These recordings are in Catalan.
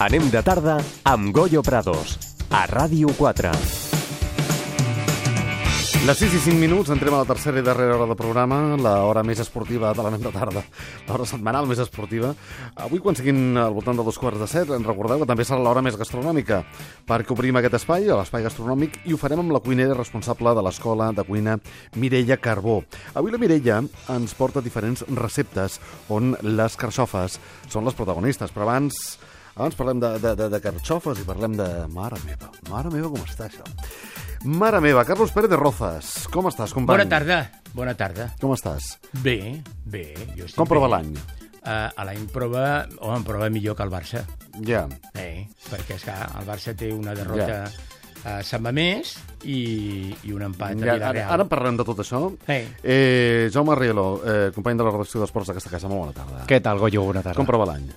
Anem de tarda amb Goyo Prados, a Ràdio 4. Les 6 i 5 minuts, entrem a la tercera i darrera hora del programa, l'hora més esportiva de l'Anem de tarda, l'hora setmanal més esportiva. Avui, quan siguin al voltant de 2:45, ens recordeu que també serà l'hora més gastronòmica, perquè obrim aquest espai, l'espai gastronòmic, i ho farem amb la cuinera responsable de l'Escola de Cuina, Mireia Carbó. Avui la Mireia ens porta diferents receptes on les carxofes són les protagonistes, però abans parlem de carxofes i parlem de... Mare meva, com està això? Mare meva, Carlos Pérez de Rozas, com estàs, company? Bona tarda. Com estàs? Bé. Jo estic com prova bé. l'any? L'any prova millor que el Barça. Ja. Perquè, esclar, el Barça té una derrota a Sant Mamés i un empat a Vilareal. Ara parlem de tot això. Jaume Rielo, company de la redacció d'Esports d'aquesta casa, molt bona tarda. Què tal, Goyo? Bona tarda. Com prova l'any?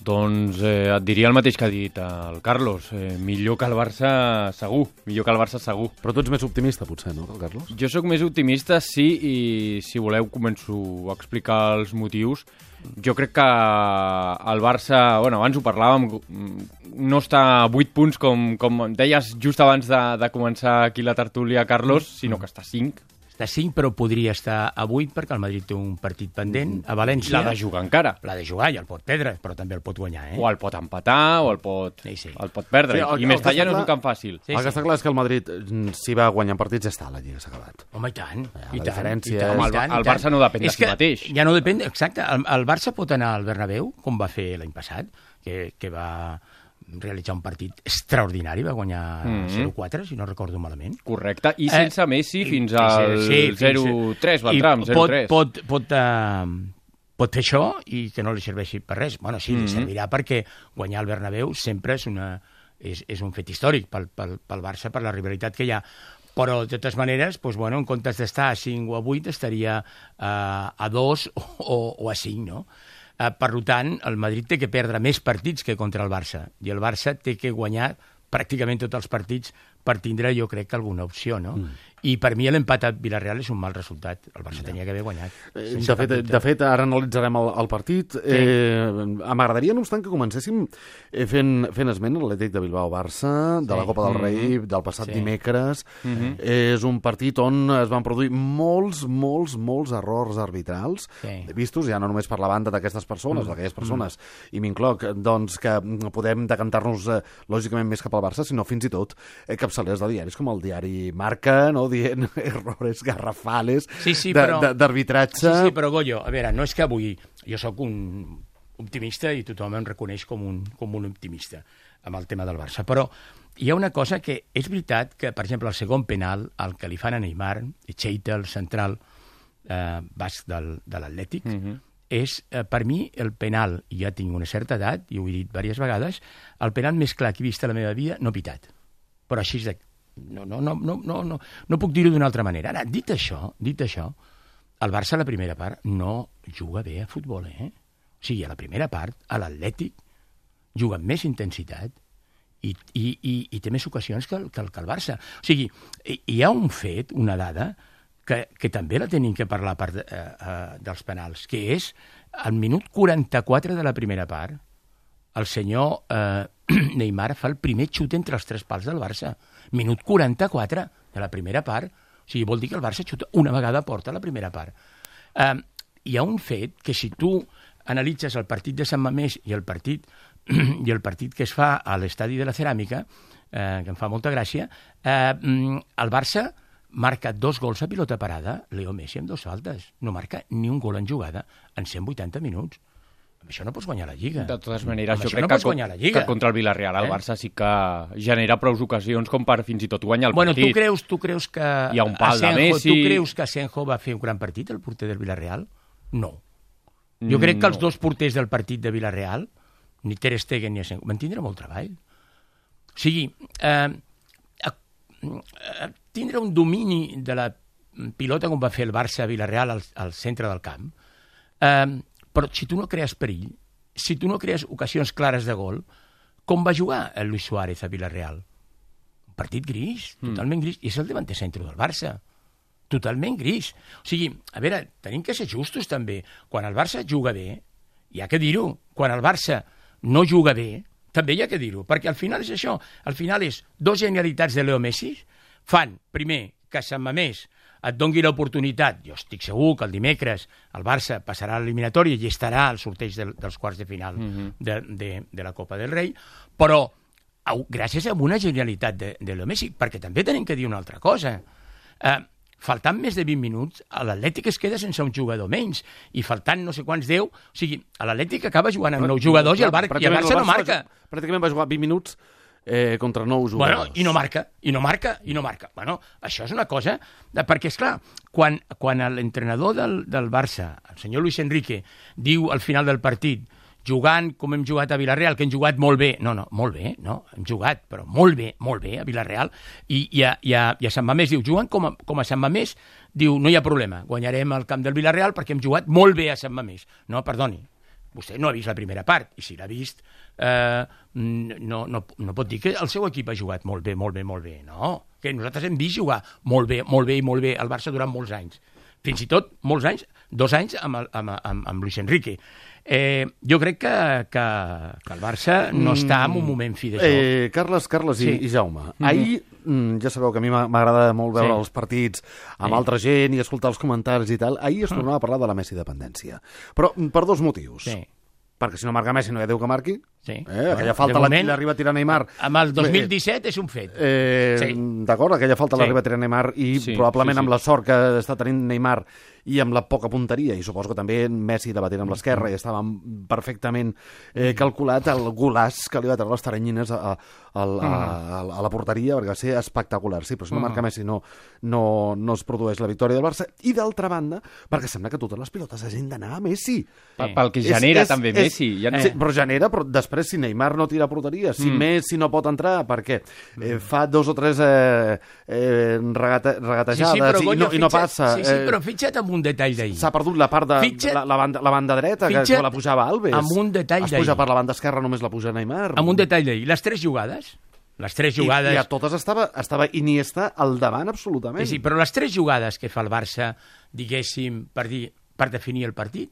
Doncs et diria el mateix que ha dit el Carlos. Millor que el Barça segur. Però tu ets més optimista, potser, no, que el Carlos? Jo sóc més optimista, sí, i si voleu començo a explicar els motius. Jo crec que el Barça, abans ho parlàvem, no està a 8 punts, com deies just abans de començar aquí la tertúlia, Carlos, sinó que està a 5. Està a 5, però podria estar a 8 perquè el Madrid té un partit pendent a València. L'ha de jugar encara. L'ha de jugar i el pot perdre, però també el pot guanyar. O el pot empatar, o el pot perdre. I més tard ja no és un camp fàcil. El que està clar és que el Madrid, si va guanyant partits, ja està, la Lliga s'ha acabat. Home, i tant. La diferència és... El Barça no depèn de si mateix. Ja no depèn, exacte. El Barça pot anar al Bernabéu, com va fer l'any passat, que va realitzar un partit extraordinari, va guanyar 0-4, si no recordo malament. Correcte, i sense Messi fins al 0-3, va entrar amb 0-3. Pot fer això i que no li serveixi per res. Bueno, sí, li servirà perquè guanyar el Bernabéu sempre és un fet històric pel Barça, per la rivalitat que hi ha. Però, de totes maneres, en comptes d'estar a 5 o a 8, estaria a 2 o a 5, no? Per tant, el Madrid té que perdre més partits que contra el Barça, i el Barça té que guanyar pràcticament tots els partits per tindre, jo crec, alguna opció, no? I per mi l'empat a Vilareal és un mal resultat. El Barça tenia que haver guanyat. De fet, ara analitzarem el partit. M'agradaria, no obstant, que comencéssim fent esment a l'Atlètic de Bilbao-Barça, de la Copa del Rei, del passat dimecres. És un partit on es van produir molts errors arbitrals, vistos ja no només per la banda d'aquestes persones, d'aquelles persones, i m'incloc, doncs, que podem decantar-nos lògicament més cap al Barça, sinó fins i tot capçalers de diaris com el diari Marca, no?, dient errores garrafales d'arbitratge. Sí, però Goyo, a veure, no és que avui jo sóc un optimista i tothom em reconeix com un optimista amb el tema del Barça, però hi ha una cosa que és veritat que, per exemple, el segon penal, el que li fan a Neymar, Cheita, el central basc de l'Atlètic, és, per mi, el penal, i ja tinc una certa edat, i ho he dit diverses vegades, el penal més clar que he vist a la meva vida no pitat. Però així és de... No puc dir-ho d'una altra manera. Ara, dit això, el Barça a la primera part no juga bé a futbol, O sigui, a la primera part, a l'Atlètic, juga amb més intensitat i té més ocasions que el Barça. O sigui, hi ha un fet, una dada, que també la tenim que parlar dels penals, que és al minut 44 de la primera part, el senyor Neymar fa el primer xut entre els 3 pals del Barça. Minut 44 de la primera part. O sigui, vol dir que el Barça xuta una vegada a porta a la primera part. Hi ha un fet que si tu analitzes el partit de Sant Mamés i el partit que es fa a l'estadi de la Ceràmica, que em fa molta gràcia, el Barça marca 2 gols a pilota parada, Leo Messi amb 2 faltes. No marca ni un gol en jugada en 180 minuts. Amb això no pots guanyar la Lliga. De totes maneres, jo crec que contra el Vilareal el Barça sí que genera prou ocasions com per fins i tot guanyar el partit. Tu creus que hi ha un pal de Messi... Tu creus que Asenjo va fer un gran partit, el porter del Vilareal? No. Jo crec que els 2 porters del partit de Vilareal, ni Ter Stegen ni Asenjo, van tindre molt treball. O sigui, tindre un domini de la pilota com va fer el Barça a Vilareal al centre del camp, però si tu no crees perill, si tu no crees ocasions clares de gol, com va jugar el Luis Suárez a Vilareal? Un partit gris, totalment gris, i és el davanter centre del Barça. Totalment gris. O sigui, a veure, tenim que ser justos també. Quan el Barça juga bé, hi ha que dir-ho, quan el Barça no juga bé, també hi ha que dir-ho, perquè al final és això, al final és dos genialitats de Leo Messi, fan, primer, que Sant Mamés et doni l'oportunitat, jo estic segur que el dimecres el Barça passarà a l'eliminatòria i estarà al sorteig dels quarts de final de la Copa del Rei, però gràcies a una genialitat de Leo Messi, perquè també tenim que dir una altra cosa. Faltant més de 20 minuts, l'Atlètic es queda sense un jugador menys, i faltant no sé quants 10, o sigui, l'Atlètic acaba jugant amb 9 jugadors i el Barça no marca. Pràcticament va jugar 20 minuts contra 9 jugadors. Bueno, i no marca. Bueno, això és una cosa, perquè, esclar, quan l'entrenador del Barça, el senyor Luis Enrique, diu al final del partit, jugant com hem jugat a Villarreal, que hem jugat molt bé. No, molt bé, no, hem jugat, però molt bé a Villarreal. I a Sant Mamés diu, jugant com a Sant Mamés, diu, no hi ha problema, guanyarem el camp del Villarreal perquè hem jugat molt bé a Sant Mamés. No, perdoni, vostè no ha vist la primera part, i si l'ha vist, no pot dir que el seu equip ha jugat molt bé. No, que nosaltres hem vist jugar molt bé al Barça durant molts anys. Fins i tot molts anys, 2 anys amb Luis Enrique. Jo crec que el Barça no està en un moment fi d'això. Carles i Jaume, ahir, ja sabeu que a mi m'agrada molt veure els partits amb altra gent i escoltar els comentaris i tal, ahir es tornava a parlar de la Messi dependència. Però per 2 motius. Sí. Perquè si no marca Messi no hi ha Déu que marqui. Sí. Aquella falta l'arriba a tirar Neymar. Amb el 2017 és un fet. D'acord, aquella falta l'arriba a tirar Neymar i probablement amb la sort que està tenint Neymar i amb la poca punteria, i suposo que també Messi debatent amb l'esquerra i estava perfectament calculat el golaç que li va treure les taranyines a la porteria, perquè va ser espectacular. Sí, però si no marca Messi no es produeix la victòria del Barça. I d'altra banda, perquè sembla que totes les pilotes hagin d'anar a Messi. Pel que genera també Messi. Sí, però genera, però després si Neymar no tira a porteria, si Messi no pot entrar, perquè fa 2 o 3 regatejades i no passa. Sí, però fixa't en un detall d'ahir. S'ha perdut la part de la banda dreta, que la pujava Alves. Amb un detall d'ahir. Es puja per la banda esquerra, només la puja Neymar. Amb un detall d'ahir. Les 3 jugades... I a totes estava Iniesta al davant, absolutament. Sí, però les 3 jugades que fa el Barça, diguéssim, per definir el partit,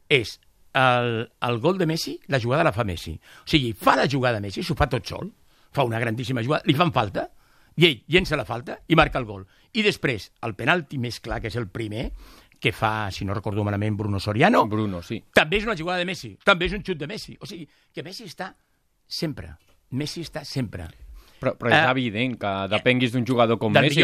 és el gol de Messi, la jugada la fa Messi. O sigui, fa la jugada Messi, s'ho fa tot sol, fa una grandíssima jugada, li fan falta, i ell llença la falta i marca el gol. I després, el penalti més clar, que és el primer, que fa, si no recordo malament, Bruno Soriano. Bruno, sí. També és una jugada de Messi, també és un xut de Messi. O sigui, que Messi està sempre. Però és evident que depenguis d'un jugador com Messi.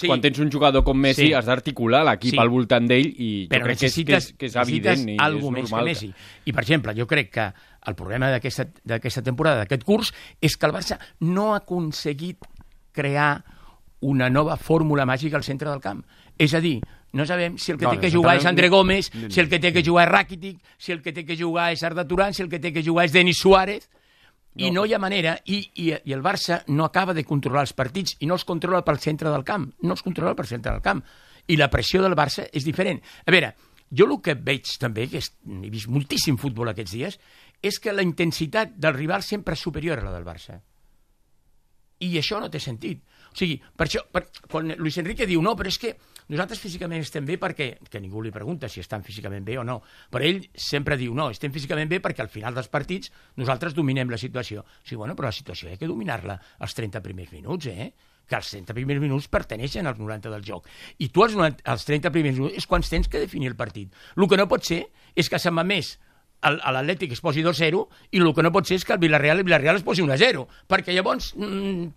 Quan tens un jugador com Messi has d'articular l'equip al voltant d'ell i jo crec que és evident i és normal. Messi. I, per exemple, jo crec que el problema d'aquesta temporada, d'aquest curs, és que el Barça no ha aconseguit crear una nova fórmula màgica al centre del camp. És a dir, no sabem si el que té que jugar és André Gómez, si el que té que jugar és Rakitic, si el que té que jugar és Arda Turan, si el que té que jugar és Denis Suárez, i no hi ha manera, i el Barça no acaba de controlar els partits i no els controla pel centre del camp, i la pressió del Barça és diferent. A veure, jo el que veig també, que he vist moltíssim futbol aquests dies, és que la intensitat del rival sempre és superior a la del Barça. I això no té sentit. O sigui, per això, quan Luis Enrique diu no, però és que nosaltres físicament estem bé perquè, que ningú li pregunta si estan físicament bé o no, però ell sempre diu no, estem físicament bé perquè al final dels partits nosaltres dominem la situació. Sí, bueno, però la situació hi ha que dominar-la als 30 primers minuts, que els 30 primers minuts perteneixen als 90 del joc. I tu als 30 primers minuts és quan tens que definir el partit. El que no pot ser és que Sant Mamés a l'Atlètic es posi 2-0 i el que no pot ser és que el Villarreal es posi 1-0, perquè llavors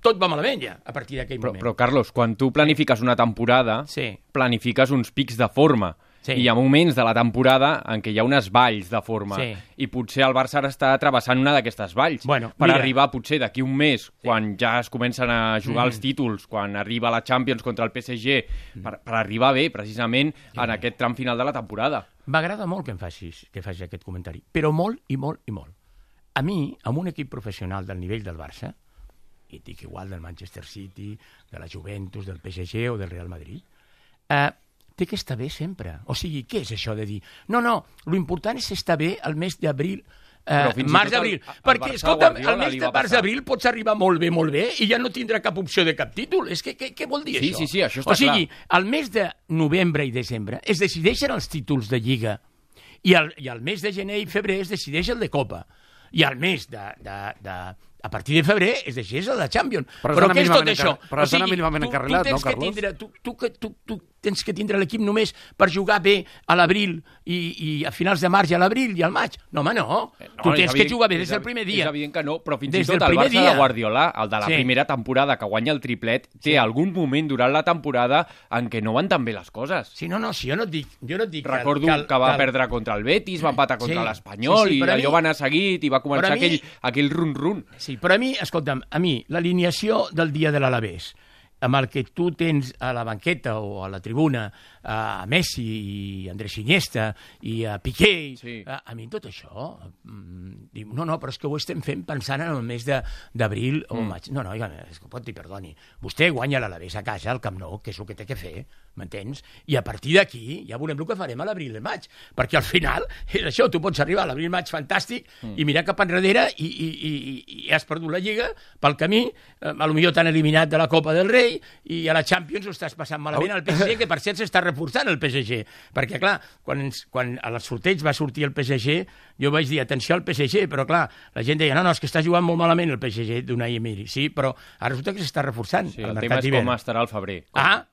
tot va malament ja a partir d'aquell moment. Però Carlos, quan tu planifiques una temporada, planifiques uns pics de forma. I hi ha moments de la temporada en què hi ha unes valls de forma i potser el Barça ara està travessant una d'aquestes valls per arribar potser d'aquí un mes, quan ja es comencen a jugar els títols, quan arriba la Champions contra el PSG, per arribar bé precisament en aquest tram final de la temporada. M'agrada molt que em facis aquest comentari, però molt i molt i molt. A mi, amb un equip professional del nivell del Barça, i dic igual del Manchester City, de la Juventus, del PSG o del Real Madrid, té que estar bé sempre. O sigui, què és això de dir? No, lo important és estar bé el mes d'abril, març-abril. Perquè, escolta'm, el mes de març-abril pots arribar molt bé i ja no tindrà cap opció de cap títol. És que què vol dir això? Sí, això està clar. O sigui, al mes de novembre i desembre es decideixen els títols de Lliga i al mes de gener i febrer es decideix el de Copa. i al mes a partir de febrer es deixés a la Champions. Però què és tot això? Però estan mínimament encarrilat, no, Carlos? Tu tens que tindre l'equip només per jugar bé a l'abril i a finals de març i a l'abril i al maig. No, home, no. Tu tens que jugar bé des del primer dia. És evident que no, però fins i tot el Barça de Guardiola, el de la primera temporada que guanya el triplet, té algun moment durant la temporada en què no van tan bé les coses. Sí, no, si jo no et dic... Recordo que va perdre contra el Betis, va empatar contra l'Espanyol, i allò va anar seguit i va començar aquell run-run. Sí, però a mi, escolta'm, l'alineació del dia de l'Alavés, amb el que tu tens a la banqueta o a la tribuna a Messi i Andrés Iniesta i a Piqué, a mi tot això diu, no, però és que ho estem fent pensant en el mes d'abril o maig. No, és que pot dir, perdoni, vostè guanya l'Alavés a casa, al Camp Nou, que és el que té que fer, m'entens? I a partir d'aquí ja veurem el que farem a l'abril i el maig, perquè al final és això, tu pots arribar a l'abril i maig fantàstic i mirar cap enrere i has perdut la Lliga pel camí, potser t'han eliminat de la Copa del Rei i a la Champions ho estàs passant malament al PSG, que per cert s'està reforçant el PSG, perquè clar, quan al sorteig va sortir el PSG, jo vaig dir, atenció al PSG, però clar, la gent deia, no, és que està jugant molt malament el PSG d'Unai Emery, sí, però ara resulta que s'està reforçant el mercat d'hivern. El tema és com estarà al febrer.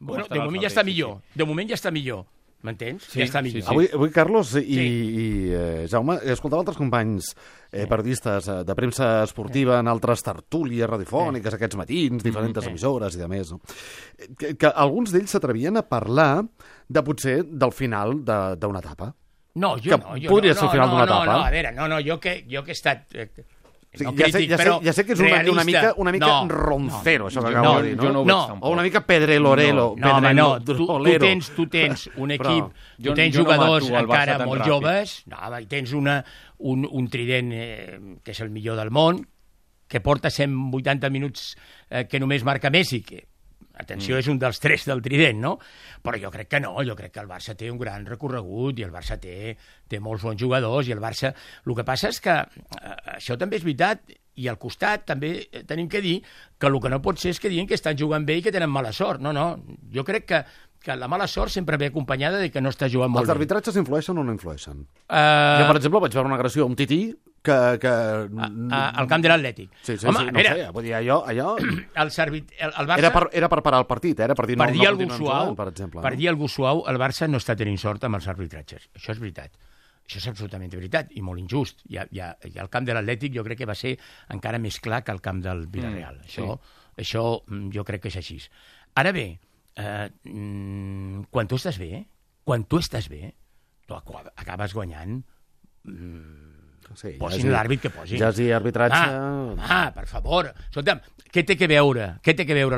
Bueno, de moment ja està millor, ja està millor. M'entens? Sí, ja està millor. Sí. Avui, Carlos i Jaume, escoltava altres companys periodistes de premsa esportiva en altres tertúlies radiofòniques aquests matins, diferents emissores i de més, no? Que alguns d'ells s'atrevien a parlar de potser del final d'una etapa. No, jo no. Podria ser el final d'una etapa. No, a veure, jo que he estat... Sí, ja sé que és una mica roncero, això que acabo de dir, no? O una mica pedrelorelo. Tu tens un equip, tu tens jugadors encara molt joves, i tens un trident que és el millor del món, que porta 180 minuts que només marca Messi, que atenció, és un dels 3 del trident, no? Però jo crec que no, jo crec que el Barça té un gran recorregut i el Barça té molts bons jugadors i el Barça... El que passa és que això també és veritat i al costat també tenim que dir que el que no pot ser és que diguin que estan jugant bé i que tenen mala sort. No, jo crec que la mala sort sempre ve acompanyada de que no està jugant molt bé. Els arbitratges influeixen o no influeixen? Jo, per exemple, vaig veure una agressió a un tití al camp de l'Atlètic. Sí, home, no sé, vull dir, allò... El Barça... Era per parar el partit, per dir no continuem jugant, per exemple. Per dir algú suau, el Barça no està tenint sort amb els arbitratges. Això és veritat. Això és absolutament veritat i molt injust. I el camp de l'Atlètic jo crec que va ser encara més clar que el camp del Villarreal. Això jo crec que és així. Ara bé, quan tu estàs bé, tu acabes guanyant... Posin l'àrbit que posin. Ja sí, arbitratge... per favor. Escolta'm, què té que veure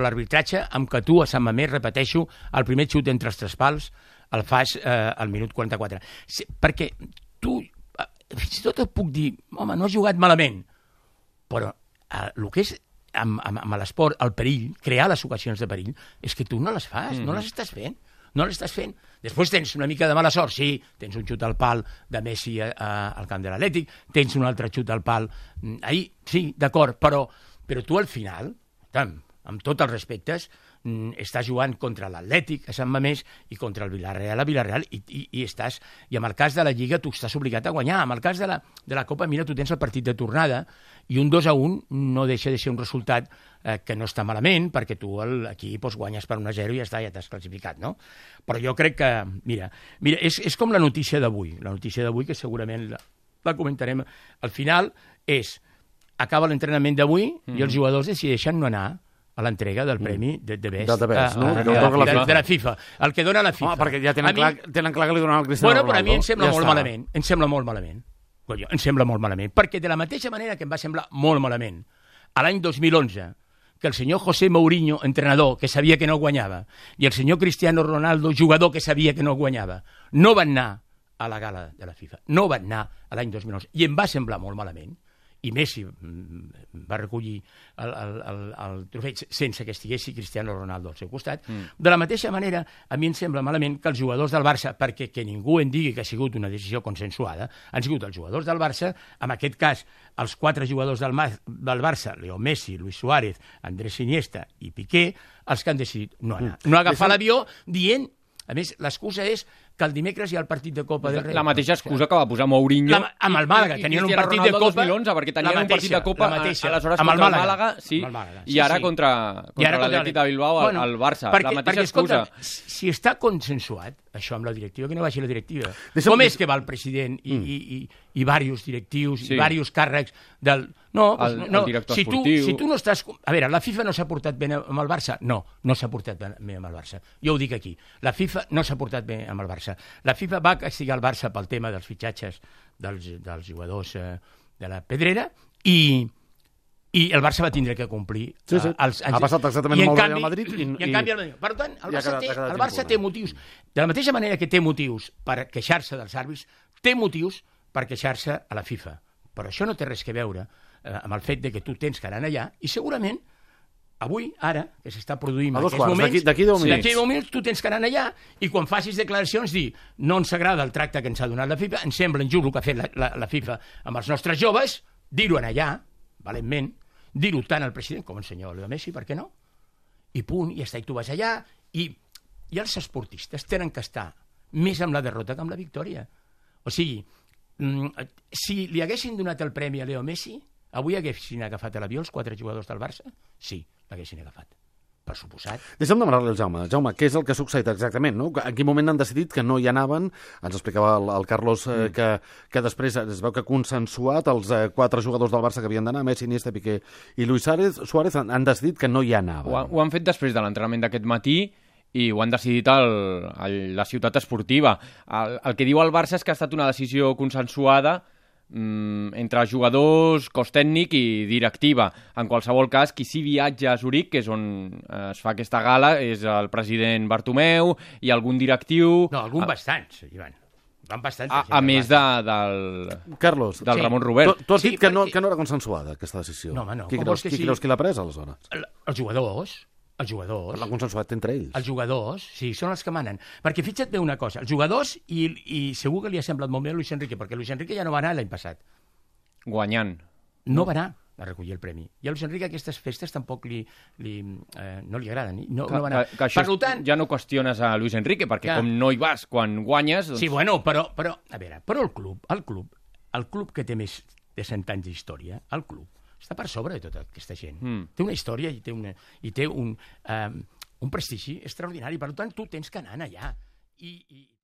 l'arbitratge amb que tu a Sant Mamés, repeteixo, el primer xut entre els tres pals el fas al minut 44? Perquè tu, fins i tot et puc dir, home, no has jugat malament, però el que és amb l'esport, el perill, crear les ocasions de perill, és que tu no les fas, no les estàs fent. No l'estàs fent. Després tens una mica de mala sort, sí, tens un xut al pal de Messi al camp de l'Atlètic, tens un altre xut al pal ahir, sí, d'acord, però tu al final, amb tots els respectes, estàs jugant contra l'Atlètic a Sant Mamés i contra el Villarreal a Villarreal i amb el cas de la Lliga tu estàs obligat a guanyar. En el cas de la Copa, mira, tu tens el partit de tornada i un 2-1 no deixa de ser un resultat que no està malament, perquè tu aquí guanyes per 1-0 i ja t'has classificat, no? Però jo crec que, mira, és com la notícia d'avui, que segurament la comentarem al final, acaba l'entrenament d'avui i els jugadors decideixen no anar a l'entrega del premi de Best de la FIFA, el que dona la FIFA. Perquè ja tenen clar que li donaran al Cristiano Ronaldo. Però a mi em sembla molt malament, perquè de la mateixa manera que em va semblar molt malament a l'any 2011 que el senyor José Mourinho, entrenador, que sabia que no guanyava, i el senyor Cristiano Ronaldo, jugador que sabia que no guanyava, no van anar a la gala de la FIFA, no van anar a l'any 2011, i em va semblar molt malament, i Messi va recollir el trofeig sense que estiguessi Cristiano Ronaldo al seu costat. De la mateixa manera, a mi em sembla malament que els jugadors del Barça, perquè que ningú en digui que ha sigut una decisió consensuada, han sigut els jugadors del Barça, en aquest cas, els 4 jugadors del Barça, Leo Messi, Luis Suárez, Andrés Iniesta i Piqué, els que han decidit no anar. No agafar l'avió dient... A més, l'excusa és que el dimecres hi ha el partit de Copa del Rei. La mateixa excusa que va posar Mourinho amb el Màlaga, tenien un partit de Copa 2011, perquè tenien un partit de Copa aleshores amb contra el Màlaga, i ara contra l'Atlètic de Bilbao, el Barça. La mateixa excusa. Si està consensuat, això amb la directiva, que no vagi la directiva. Com és que va el president i diversos directius i diversos càrrecs del... No, el director esportiu... Si tu no estàs... A veure, la FIFA no s'ha portat bé amb el Barça? No s'ha portat bé amb el Barça. Jo ho dic aquí. La FIFA no s'ha portat bé amb el Barça. La FIFA va castigar el Barça pel tema dels fitxatges dels jugadors de la Pedrera i el Barça va tindre que complir. Ha passat exactament amb el Real Madrid. I en canvi, per tant, el Barça té motius. De la mateixa manera que té motius per queixar-se dels àrbitres, té motius per queixar-se a la FIFA. Però això no té res que veure amb el fet de que tu tens que anar allà i segurament avui, ara, que s'està produint en aquests moments, d'aquí 10 minuts tu tens que anar allà i quan facis declaracions dir no ens agrada el tracte que ens ha donat la FIFA, ens sembla injust el que ha fet la FIFA amb els nostres joves, dir-ho allà, valentment, dir-ho tant al president com al senyor Leo Messi, per què no? I punt, i està, i tu vas allà, i els esportistes tenen que estar més amb la derrota que amb la victòria. O sigui, si li haguessin donat el premi a Leo Messi, avui haguessin agafat a l'avió els 4 jugadors del Barça? Sí, l'haguessin agafat. Per suposat. Deixa'm demanar-li al Jaume. Jaume, què és el que ha succeït exactament? No? En quin moment han decidit que no hi anaven? Ens explicava el Carlos que després es veu que ha consensuat els 4 jugadors del Barça que havien d'anar, Messi, Iniesta, Piqué i Luis Suárez han decidit que no hi anaven. Ho han fet després de l'entrenament d'aquest matí i ho han decidit la ciutat esportiva. El que diu el Barça és que ha estat una decisió consensuada entre jugadors, cos tècnic i directiva. En qualsevol cas, qui sí viatja a Zuric, que és on es fa aquesta gala, és el president Bartomeu i algun directiu... No, algun bastants, Ivan. A més del Carlos, del Ramon Robert. Tu has dit que no era consensuada, aquesta decisió. No, home, no. Qui creus que l'ha pres, aleshores? Els jugadors. L'han consensuat entre ells. Els jugadors, sí, són els que manen. Perquè fixa't bé una cosa, els jugadors, i segur que li ha semblat molt bé a Luis Enrique, perquè Luis Enrique ja no va anar l'any passat. Guanyant. No va anar a recollir el premi. I a Luis Enrique aquestes festes tampoc no li agraden. No va anar. Que això ja no qüestiones a Luis Enrique, perquè com no hi vas quan guanyes... Sí, bueno, però a veure, però el club que té més de 100 anys d'història, el club, està per sobre de tota aquesta gent. Té una història i té un prestigi extraordinari. Per tant, tu tens que anar allà.